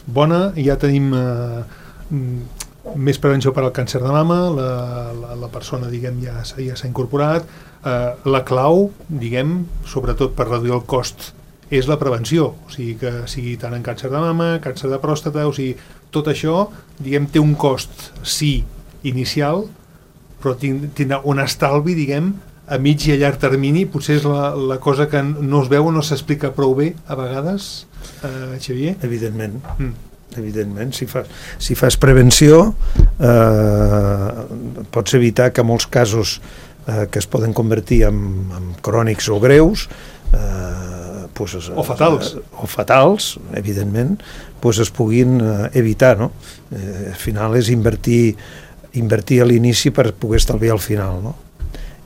bona, ja tenim més prevenció per al càncer de mama, la persona, diguem, ja s'ha incorporat. La clau, diguem, sobretot per reduir el cost, és la prevenció, o sigui que sigui tant en càncer de mama, càncer de pròstata, o sigui, tot això, diguem, té un cost, sí, inicial, però tindrà un estalvi, diguem, a mig i a llarg termini. Potser és la cosa que no es veu o no s'explica prou bé a vegades, Xavier? Evidentment. Evidentment, si fas prevenció pots evitar que molts casos que es poden convertir en crònics o greus o fatals, evidentment, es puguin evitar, no? Al final és invertir a l'inici per poder estalviar al final, no?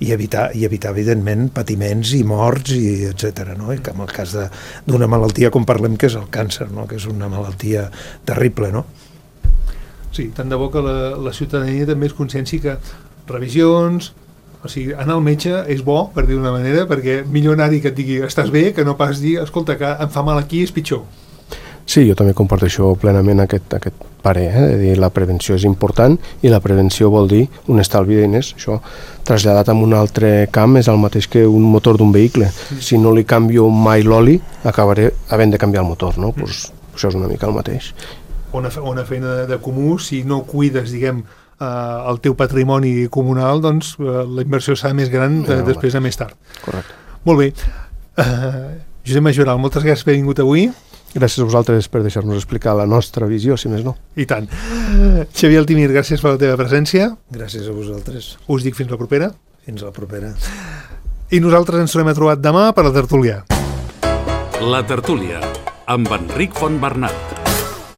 I evitar evidentment patiments i morts i etc. No? I que en el cas d'una malaltia com parlem que és el càncer, no? Que és una malaltia terrible, no? Sí, tant de bo que la ciutadania també es conscienci que revisions, o sigui, anar al metge és bo, per dir d'una manera, perquè millor anar-hi que et digui estàs bé, que no pas dir, escolta, que em fa mal aquí, és pitjor. Sí, jo també comparteixo plenament aquest parer, de dir la prevenció és important i la prevenció vol dir un estalvi de diners. Això, traslladat a un altre camp, és el mateix que un motor d'un vehicle. Si no li canvio mai l'oli, acabaré havent de canviar el motor, no? Pues, això és una mica el mateix. Una feina de comú, si no cuides, diguem, el teu patrimoni comunal, doncs la inversió serà més gran després a més tard. Correcte. Molt bé. Josep Majoral, moltes gràcies per haver vingut avui. Gràcies a vosaltres per deixar-nos explicar la nostra visió, si més no. I tant. Xavier Altimir, gràcies per la teva presència. Gràcies a vosaltres. Us dic fins la propera. Fins la propera. I nosaltres ens tornem a trobar demà per la tertúlia. La tertúlia, amb Enric Fontbernat.